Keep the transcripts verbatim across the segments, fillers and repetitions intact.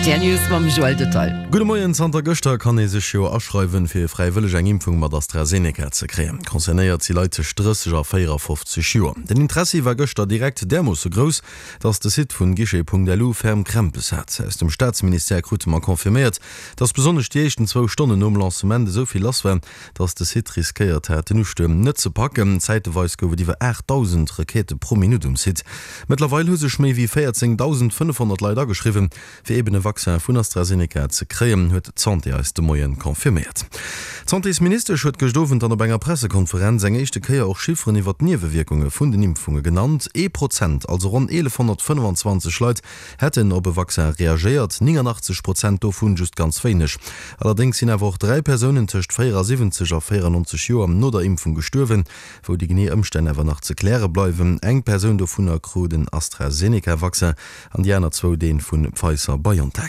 Rtl News mam Joël Detail. Gudde Moien, Zanter gëschter kann ee sech jo aschreiwen, fir fräiwëlleg eng Impfung mat AstraZeneca ze kréien. Concernéiert si Leit tëscht drësseg a véierafofzeg Joer. Den Interessi war gëschter direkt därmoosse grouss, dass de Site vun guichet.lu ferm Krämpes hat. Aus dem Staatsministère krute mer confirméiert, dass besonnesch déi éischten zwou Stonnen nom Lancement esou vill lass war, dass de Site riskéiert hat, den Ustuerm net ze packen. Zäiteweis gouf et iwwer aachtdausend Requêtë pro Minutt um Site. Mëttlerweil hu sech méi wéi véierzéngdausendfënnefhonnert Leit ageschriwwen, fir eben e Vaccin vun AstraZeneca ze kréien, huet d'Santé eis de Moien confirméiert. D'Santésministesch huet gëscht Owend dann op enger Pressekonferenz eng éischte Kéier och Chifferen iwwer d'Niewewierkunge vun den Impfunge genannt. Ee Prozent, also ronn eelefhonnertfënnefenzwanzeg Leit, hätten op e Vaccin reagéiert, nénganachtzeg Prozent dovun just ganz wéineg. Allerdéngs sinn awer och dräi Persounen tëscht véierasiwwenzeg a véierannonzeg Joer no der Impfung gestuerwen, wou déi genee Ëmstänn awer nach ze kläre bleiwen. Eng Persoun dovunner krut en AstraZeneca-Vaccin an déi aner zwou dee vu Pfizer-BioNTech.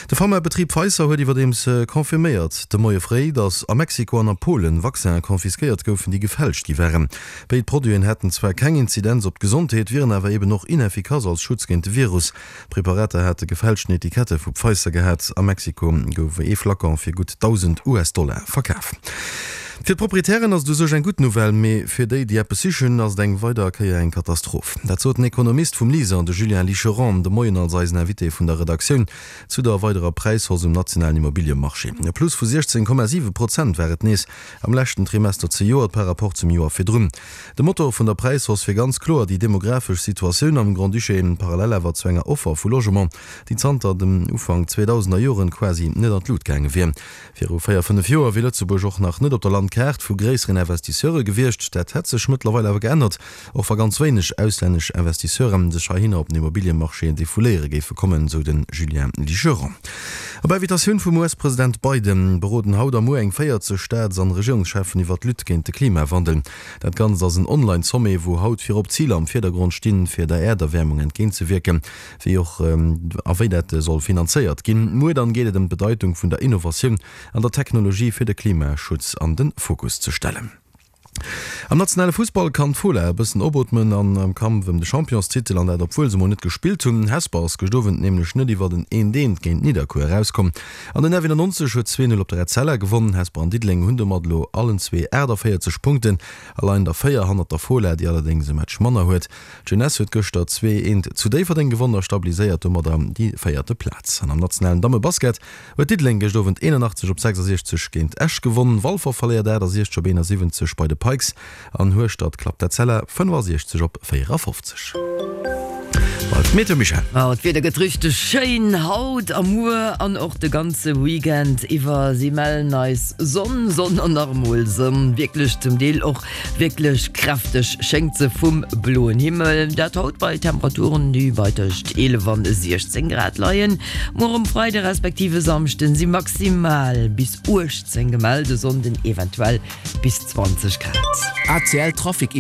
De Pharmabetrib Pfizer huet iwwerdeems confirméiert de Moie fréi, datt a Mexiko an a Polen Vaccinen confisquéiert goufen, déi gefälscht gi waren. Béid Produiten hätten zwar keng Inzidenz op d'Gesondheet, wieren awer eben och ineffikass als Schutz géint de Virus. D'Preparater hate gefälschten Etikette vu Pfizer gehat. A Mexiko gouf ee Flacon fir gutt dausend US-Dollar verkaf. Fir d'Proprietären ass et u sech eng gutt Nouvelle, mee fir déi, déi eppes sichen, ass et eng weider Kéier eng Katastroph. Dat sot den Ekonomist vum LISER, de Julien Licheron, de Moien als eisen Invité vun der Redaktioun zu der weiderer Präishausse um nationalen Immobiliemarché. E Plus vu siechzéng Komma siwe Prozent war et nees am leschten Trimester zejoert par rapport zum Joer virdrun. De Motor vun der Präishausse wier ganz kloer déi demografesch Situatioun am Grand-Duché, parallel awer zu enger Offer vu Logement, déi zanter dem Ufank zweedausender Joren quasi net an d'Lut gaange wier. Viru véier, fënnef Joer wier Lëtzebuerg och nach net op der Landkaart vu gréisseren Investisseure gewiescht. Dat hätt sech mëttlerweil awer geännert, och wa ganz wéineg auslännesch Investisseure sech heihinner op den Immobiliemarché defouléiere géife kommen, sou de Julien Licheron. Op Invitatioun vum U S-President Biden beroden haut a muer eng véierzeg Staats an Regierungscheffen iwwer d'Lutte géint de Klimawandel. Dat Ganzt ass en Online-Sommet, wou haut virop Ziler am Virdergrond stinn, fir der Äerderwäermung entgéintzewierken, wéi och a wéi dat soll finanzéiert ginn. Muer dann geet et ëm d'Bedeitung vun der Innovatioun an der Technologie fir de Klimaschutz an de Fokus ze stellen. Am nationale Fussball kann d'Fola e bëssen opootmen an am Kampf ëm de Championstitel, an dat obwuel se mol net gespillt hunn. Hesper ass gëscht Owend nämlech net iwwer en eent eent géint Nidderkuer erauskomm an den F nonennegnonzeg huet zwee null op der Etzella gewonnen. Hesper an Diddeleng hunn domat elo allen zwee aachtavéierzeg Punkten a leien der véier hannert der Fola, déi allerdéngs e Match manner huet. D'Jeunesse huet gëschter zwee eent zu Déifferdeng gewonnen a stabiliséiert domadder déi véierte Plaz. An am nationalen Dammebasket huet Diddeleng gëscht Owend eenanachtzeg op sechsasiechzeg géint Esch gewonnen. Walfer verléiert aachtasechzeg op eenasiwwenzeg bei de Pikes an Hueschtert klappt d'Etzella fënnefasiechzeg op véierafofzeg. Bleift Meteo Michèle. Oh, d'Wieder gëtt richteg schéin haut a muer an och de ganze Weekend iwwer. Si mellen eis Sonn, Sonn an nach emol Sonn. Wierklech zum Deel och wierklech kräfteg schéngt se vum bloen Himmel. Dat haut bei Temperaturen, déi bei tëscht eelef an siechzéng Grad leien. Muer um Freide respektive Samschden si maximal bis uechtzéng gemellt, e Sonnden eventuell bis zwanzeg Grad. A C L Trafic.